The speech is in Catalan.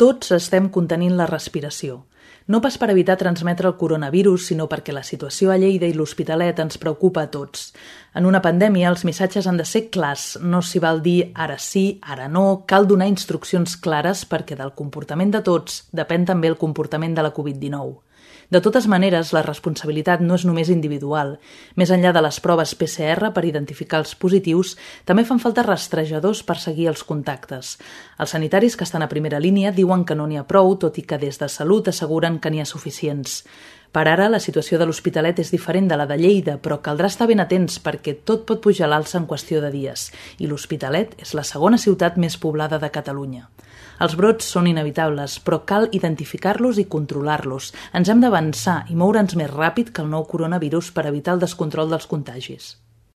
Tots estem contenint la respiració. No pas per evitar transmetre el coronavirus, sinó perquè la situació a Lleida i l'Hospitalet ens preocupa a tots. En una pandèmia, els missatges han de ser clars. No s'hi val dir ara sí, ara no. Cal donar instruccions clares perquè del comportament de tots depèn també el comportament de la Covid-19. De totes maneres, la responsabilitat no és només individual. Més enllà de les proves PCR per identificar els positius, també fan falta rastrejadors per seguir els contactes. Els sanitaris que estan a primera línia diuen que no n'hi ha prou, tot i que des de Salut asseguren que n'hi ha suficients. Per ara, la situació de l'Hospitalet és diferent de la de Lleida, però caldrà estar ben atents perquè tot pot pujar a l'alça en qüestió de dies. I l'Hospitalet és la segona ciutat més poblada de Catalunya. Els brots són inevitables, però cal identificar-los i controlar-los. Ens hem d'avançar i moure'ns més ràpid que el nou coronavirus per evitar el descontrol dels contagis.